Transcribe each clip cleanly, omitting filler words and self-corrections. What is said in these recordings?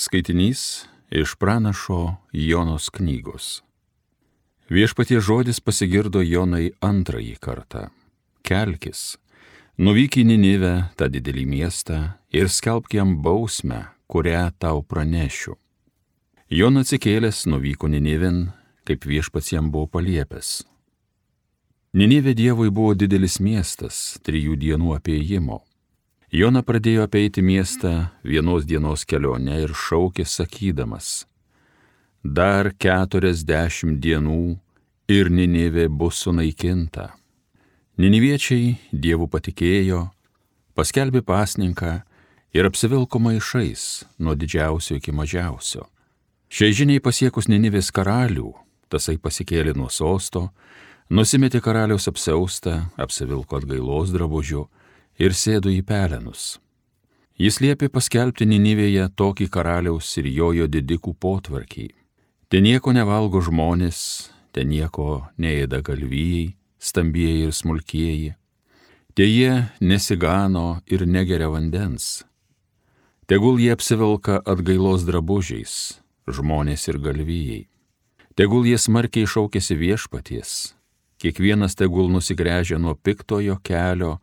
Skaitinys iš pranašo Jonos knygos. Viešpaties žodis pasigirdo Jonai antrąjį kartą. Kelkis, nuvyk į Ninivę, tą didelį miestą, ir skelbk jam bausmę, kurią tau pranešiu. Jona atsikėlęs nuvyko Ninivėn, kaip viešpats jam buvo paliepęs. Ninivė Dievui buvo didelis miestas, 3 dienų apėjimo. Jona pradėjo apeiti miestą 1 dienos kelionę ir šaukė sakydamas: dar 40 dienų ir Ninivė bus sunaikinta. Niniviečiai Dievu patikėjo, paskelbė pasninką ir apsivilko maišais nuo didžiausio iki mažiausio. Šiai žiniai pasiekus Ninivės karalių, tasai pasikėlė nuo sosto, nusimetė karaliaus apsiaustą, apsivilko atgailos drabužiu ir sėdo į pelenus. Jis liepė paskelbti Ninivėje tokį karaliaus ir jojo didikų potvarkį. Ten nieko nevalgo žmonės, ten nieko neėda galvijai, stambieji ir smulkieji. Te jie nesigano ir negeria vandens. Tegul jie apsivilka atgailos drabužiais, žmonės ir galvijai. Tegul jie smarkiai šaukiasi viešpaties, kiekvienas tegul nusigręžia nuo piktojo kelio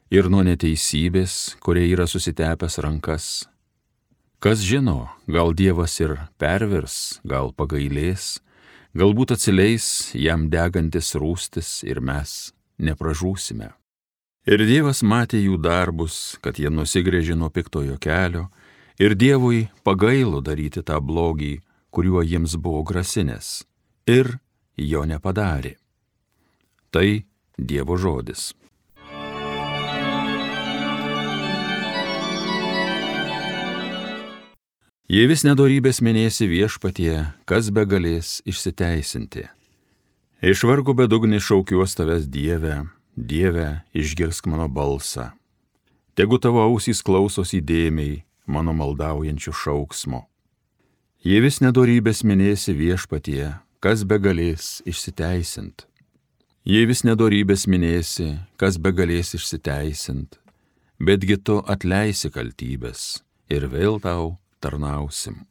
ir nuo neteisybės, kurie yra susitepęs rankas. Kas žino, gal Dievas ir pervers, gal pagailės, galbūt atsileis jam degantis rūstis ir mes nepražūsime. Ir Dievas matė jų darbus, kad jie nusigręžė nuo piktojo kelio, ir Dievui pagailo daryti tą blogį, kuriuo jiems buvo grasinęs, ir jo nepadarė. Tai Dievo žodis. Jei vis nedorybės minėsi viešpatie, kas begalės išsiteisinti. Iš vargo bedugnį šaukiuos tavęs Dieve, Dieve, išgirsk mano balsą. Tegu tavo ausys klausosi įdėmiai mano maldaujančių šauksmo. Jei vis nedorybės minėsi viešpatie, kas begalės išsiteisint. Jei vis nedorybės minėsi, kas begalės išsiteisint, betgi tu atleisi kaltybės ir vėl tau tarnausim.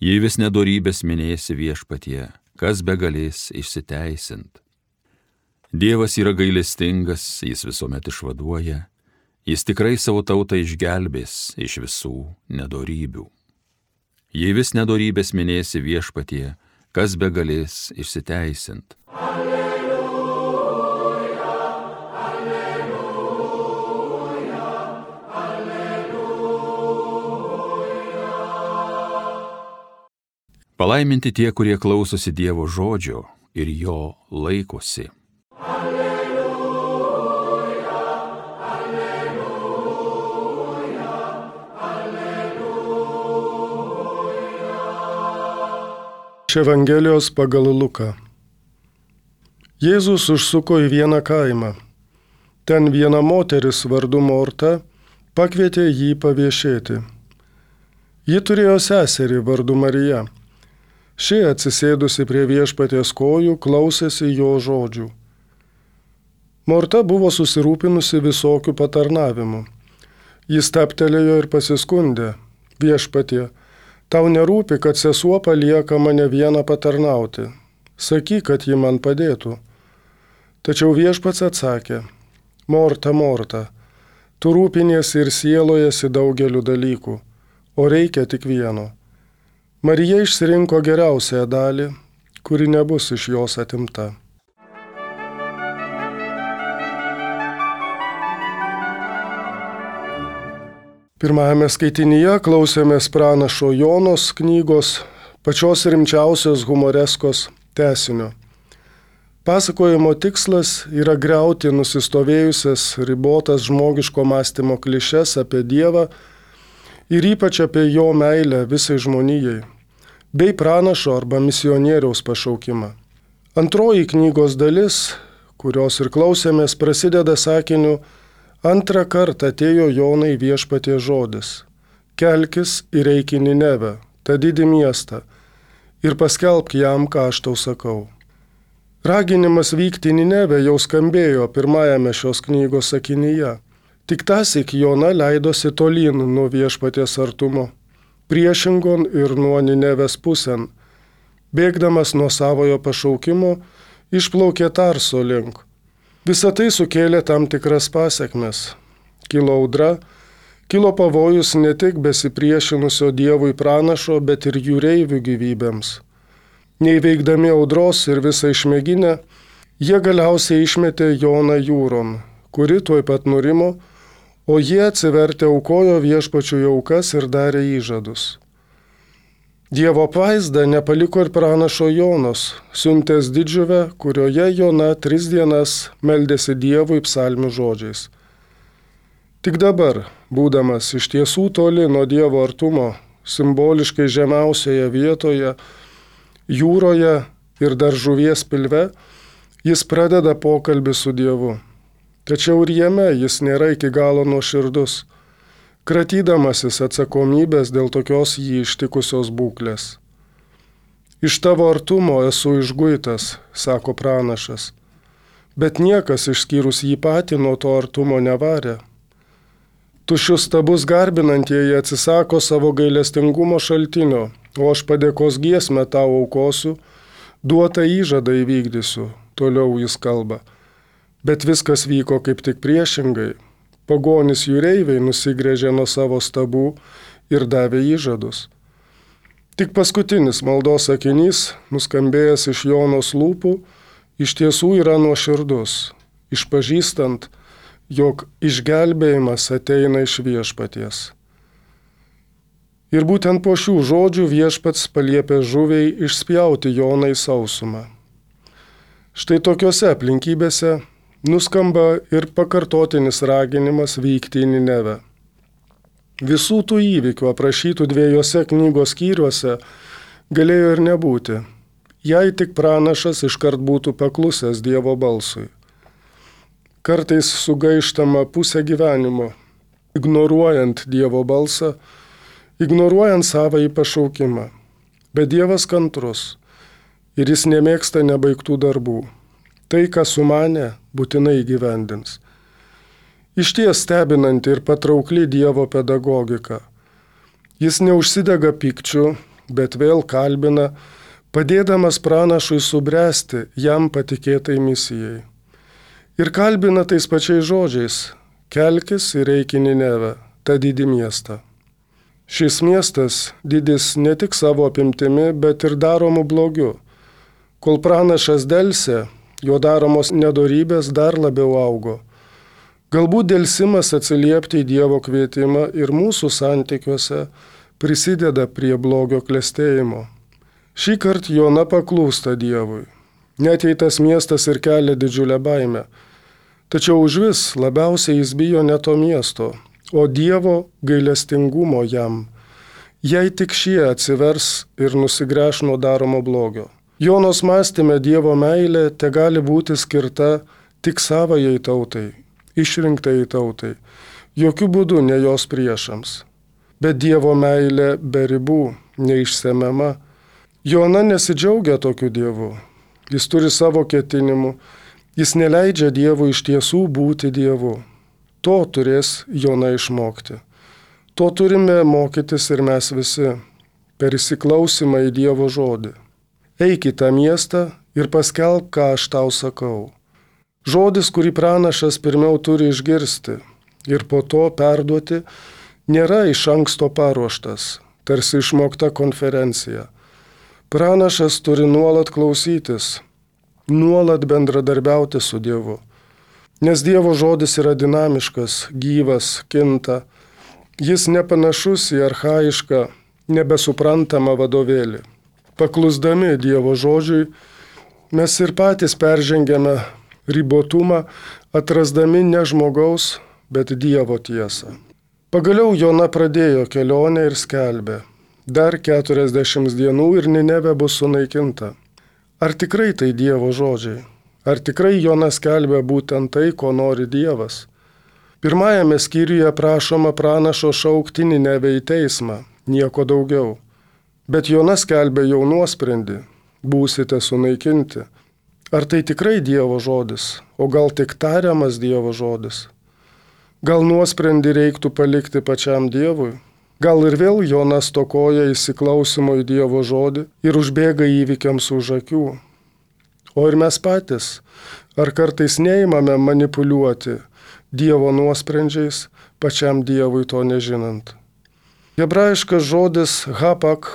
Jei vis nedorybės minėsi viešpatie, kas begalės išsiteisint. Dievas yra gailestingas, jis visuomet išvaduoja, jis tikrai savo tautą išgelbės iš visų nedorybių. Jei vis nedorybės minėsi viešpatie, kas begalės išsiteisint. Palaiminti tie, kurie klausosi Dievo žodžio ir jo laikosi. Alleluja, alleluja, alleluja. Iš Evangelijos pagal Luką. Jėzus užsuko į vieną kaimą. Ten viena moteris vardu Morta pakvietė jį paviešėti. Ji turėjo seserį vardu Marija. Ši atsisėdusi prie viešpaties kojų klausėsi jo žodžių. Morta buvo susirūpinusi visokių patarnavimų. Jis stabtelėjo ir pasiskundė: viešpatie, tau nerūpi, kad sesuo palieka mane vieną patarnauti. Sakyk, kad ji man padėtų. Tačiau viešpats atsakė: Morta, Morta, tu rūpiniesi ir sielojasi daugeliu dalykų, o reikia tik vieno. Marija išsirinko geriausiąją dalį, kuri nebus iš jos atimta. Pirmajame skaitinyje klausėmės pranašo Jonos knygos, pačios rimčiausios humoreskos tęsinio. Pasakojimo tikslas yra griauti nusistovėjusias ribotas žmogiško mąstymo klišes apie Dievą ir ypač apie jo meilę visai žmonijai, bei pranašo arba misionieriaus pašaukimą. Antroji knygos dalis, kurios ir klausėmės, prasideda sakiniu: antrą kartą atėjo Jonai viešpaties žodis: kelkis ir eik į Ninevę, tą didį miestą, ir paskelbk jam, ką aš tau sakau. Raginimas vykti į Ninevę jau skambėjo pirmajame šios knygos sakinyje. Tik tąsyk Jona leidosi tolyn nuo viešpaties artumo. priešingon ir nuo Ninevės pusėn. Bėgdamas nuo savojo pašaukimo, išplaukė Tarso link. Visą tai sukėlė tam tikras pasekmes. Kilo audra, kilo pavojus ne tik besipriešinusio Dievui pranašo, bet ir jūreivių gyvybėms. Neįveikdami audros ir visą išmėginę, jie galiausiai išmetė Joną jūron, kuri tuoj pat nurimo, o jie atsivertę aukojo Viešpačiui aukas ir darė įžadus. Dievo apvaizda nepaliko ir pranašo Jonos, siuntęs didžiuvę, kurioje Jona 3 dienas meldėsi Dievui psalmių žodžiais. Tik dabar, būdamas iš tiesų toli nuo Dievo artumo, simboliškai žemiausioje vietoje, jūroje ir dar žuvies pilve, jis pradeda pokalbį su Dievu. Tačiau ir jame jis nėra iki galo nuoširdus, kratydamasis atsakomybės dėl tokios jį ištikusios būklės. Iš tavo artumo esu išguitas, sako pranašas, bet niekas išskyrus jį patį nuo to artumo nevarė. Tuščius stabus garbinantieji atsisako savo gailestingumo šaltinio, o aš padėkos giesmę tau aukosiu, duotą įžadą įvykdysiu, toliau jis kalba. Bet viskas vyko kaip tik priešingai. Pagonys jūreiviai nusigręžė nuo savo stabų ir davė įžadus. Tik paskutinis maldos sakinys, nuskambėjęs iš Jonos lūpų, iš tiesų yra nuoširdus, išpažįstant, jog išgelbėjimas ateina iš Viešpaties. Ir būtent po šių žodžių Viešpats paliepė žuviai išspjauti Joną į sausumą. Štai tokiose aplinkybėse nuskamba ir pakartotinis raginimas vykti į Ninevę. Visų tų įvykių aprašytų 2 knygos skyriuose galėjo ir nebūti, jei tik pranašas iškart būtų paklusęs Dievo balsui. Kartais sugaištama pusę gyvenimo, ignoruojant Dievo balsą, ignoruojant savąjį pašaukimą. Bet Dievas kantrus ir jis nemėgsta nebaigtų darbų. Tai, ką sumanė, būtinai įgyvendins. Išties stebinanti ir patraukli Dievo pedagogika. Jis neužsidega pykčiu, bet vėl kalbina, padėdamas pranašui subręsti jam patikėtai misijai. Ir kalbina tais pačiais žodžiais: kelkis ir eik į Ninevę, tą didį miestą. Šis miestas didis ne tik savo apimtimi, bet ir daromu blogiu. Kol pranašas delsė, jo daromos nedorybės dar labiau augo. Galbūt delsimas atsiliepti į Dievo kvietimą ir mūsų santykiuose prisideda prie blogio klestėjimo. Šį kartą Jona paklūsta Dievui. Net jei tas miestas ir kelia didžiulę baimę. Tačiau užvis labiausiai jis bijo ne to miesto, o Dievo gailestingumo jam, jei tik šie atsivers ir nusigręš nuo daromo blogio. Jonos mąstyme Dievo meilė tegali būti skirta tik savajai tautai, išrinktai tautai, jokių būdų ne jos priešams. Bet Dievo meilė be ribų, neišsemiama. Jona nesidžiaugia tokiu Dievu. Jis turi savo ketinimų, jis neleidžia Dievui iš tiesų būti Dievu. To turės Jona išmokti. To turime mokytis ir mes visi, per įsiklausimą į Dievo žodį. Eik į tą miestą ir paskelbk, ką aš tau sakau. Žodis, kurį pranašas pirmiau turi išgirsti ir po to perduoti, nėra iš anksto paruoštas, tarsi išmokta konferencija. Pranašas turi nuolat klausytis, nuolat bendradarbiauti su Dievu. Nes Dievo žodis yra dinamiškas, gyvas, kinta. Jis nepanašus į archaišką, nebesuprantamą vadovėlį. Paklusdami Dievo žodžiui, mes ir patys peržengiame ribotumą, atrasdami ne žmogaus, bet Dievo tiesą. Pagaliau Jona pradėjo kelionę ir skelbė: dar 40 dienų ir Ninevė bus sunaikinta. Ar tikrai tai Dievo žodžiai? Ar tikrai Jona skelbė būtent tai, ko nori Dievas? Pirmajame skyriuje prašoma pranašo šaukti Ninevę į teismą, nieko daugiau. Bet Jona skelbė jau nuosprendį: būsite sunaikinti. Ar tai tikrai Dievo žodis, o gal tik tariamas Dievo žodis? Gal nuosprendį reiktų palikti pačiam Dievui? Gal ir vėl Jonas stokoja įsiklausimo į Dievo žodį ir užbėga įvykiams už akių. O ir mes patys, ar kartais neimame manipuliuoti Dievo nuosprendžiais, pačiam Dievui to nežinant. Hebrajiškas žodis hapak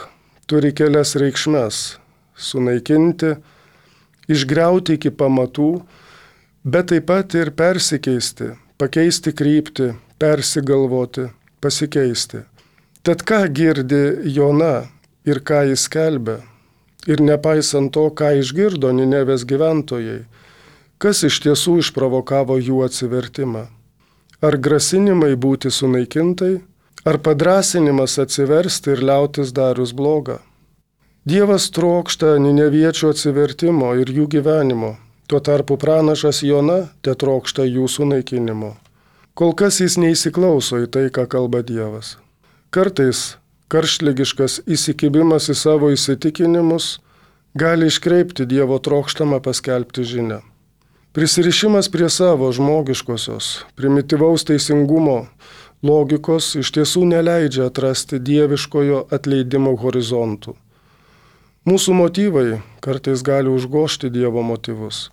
turi kelias reikšmes - sunaikinti, išgriauti iki pamatų, bet taip pat ir persikeisti, pakeisti kryptį, persigalvoti, pasikeisti. Tad ką girdi Jona ir ką jis skelbia? Ir nepaisant to, ką išgirdo Ninevės gyventojai, kas iš tiesų išprovokavo jų atsivertimą? Ar grasinimai būti sunaikintai, ar padrąsinimas atsiversti ir liautis darius blogą? Dievas trokšta nineviečių atsivertimo ir jų gyvenimo, tuo tarpu pranašas Jona tetrokšta jų sunaikinimo. Kol kas jis neįsiklauso į tai, ką kalba Dievas. Kartais karštligiškas įsikibimas į savo įsitikinimus gali iškreipti Dievo trokštamą paskelbti žinią. Prisirišimas prie savo žmogiškosios, primityvaus teisingumo logikos iš tiesų neleidžia atrasti dieviškojo atleidimo horizontų. Mūsų motyvai kartais gali užgožti Dievo motyvus.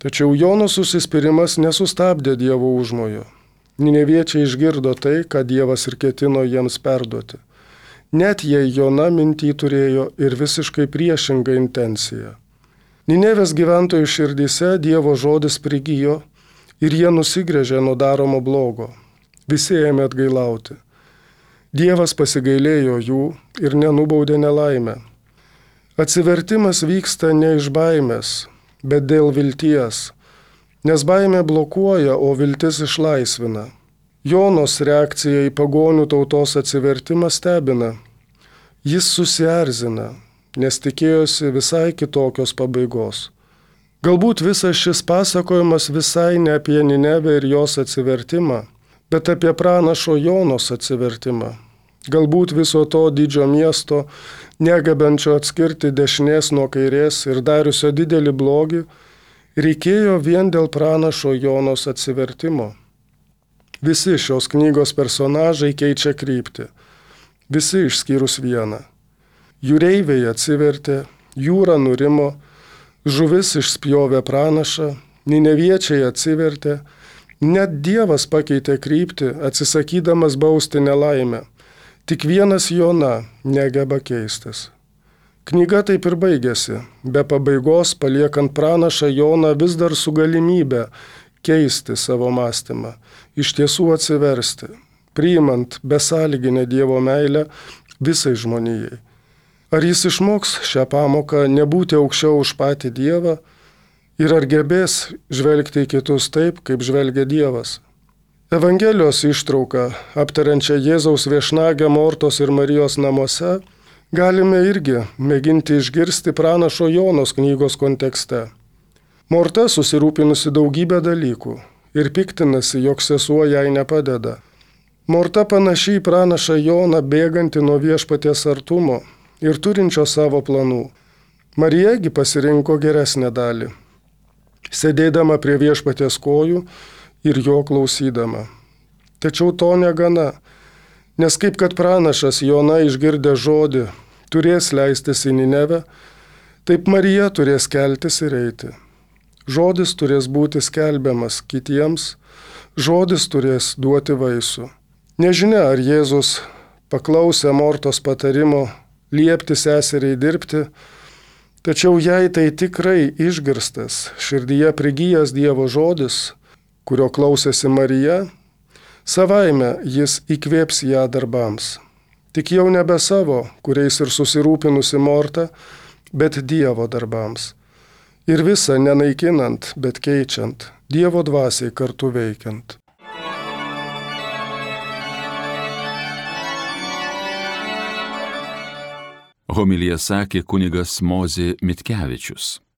Tačiau Jonos užsispyrimas nesustabdė Dievo užmojo. Nineviečiai išgirdo tai, ką Dievas ir ketino jiems perduoti. Net jei Jona mintį turėjo ir visiškai priešingą intenciją. Ninevės gyventojų širdyse Dievo žodis prigijo ir jie nusigręžė nuo daromo blogo. Visi ėmė atgailauti. Dievas pasigailėjo jų ir nenubaudė nelaimę. Atsivertimas vyksta ne iš baimės, bet dėl vilties. Nes baimė blokuoja, o viltis išlaisvina. Jonos reakcija į pagonių tautos atsivertimą stebina. Jis susierzina, nes tikėjosi visai kitokios pabaigos. Galbūt visas šis pasakojimas visai ne apie Ninevę ir jos atsivertimą, bet apie pranašo Jonos atsivertimą. Galbūt viso to didžio miesto, negabenčio atskirti dešinės nuo kairės ir dariusio didelį blogį, reikėjo vien dėl pranašo Jonos atsivertimo. Visi šios knygos personažai keičia kryptį. Visi išskyrus vieną. Jūreiviai atsivertė, jūra nurimo, žuvis išspjovė pranašą, nineviečiai atsivertė, net Dievas pakeitė kryptį, atsisakydamas bausti nelaimę. Tik vienas Jona negeba keistis. Knyga taip ir baigėsi, be pabaigos paliekant pranašą Joną vis dar su galimybė keisti savo mąstymą, iš tiesų atsiversti, priimant besąlyginę Dievo meilę visai žmonijai. Ar jis išmoks šią pamoką nebūti aukščiau už patį Dievą ir ar gebės žvelgti į kitus taip, kaip žvelgia Dievas? Evangelijos ištrauką, aptariančią Jėzaus viešnagę Mortos ir Marijos namuose, galime irgi mėginti išgirsti pranašo Jonos knygos kontekste. Morta susirūpinusi daugybę dalykų ir piktinasi, jog sesuo jai nepadeda. Morta panašiai į pranašą Joną bėgantį nuo viešpaties artumo ir turinčio savo planų. Marijagi pasirinko geresnę dalį, sėdėdama prie viešpaties kojų ir jo klausydama. Tačiau to negana, nes kaip kad pranašas Jona išgirdė žodį, turės leistis į Ninevę, taip Marija turės keltis ir eiti. Žodis turės būti skelbiamas kitiems, žodis turės duoti vaisių. Nežinia, ar Jėzus paklausė Mortos patarimo liepti seseriai dirbti, tačiau jei tai tikrai išgirstas, širdyje prigijęs Dievo žodis, kurio klausėsi Marija, savaime jis įkvėps ją darbams. Tik jau nebe savo, kuriais ir susirūpinusi Morta, bet Dievo darbams. Ir visą nenaikinant, bet keičiant, Dievo dvasiai kartu veikiant. Homiliją sakė kunigas Mozė Mitkevičius.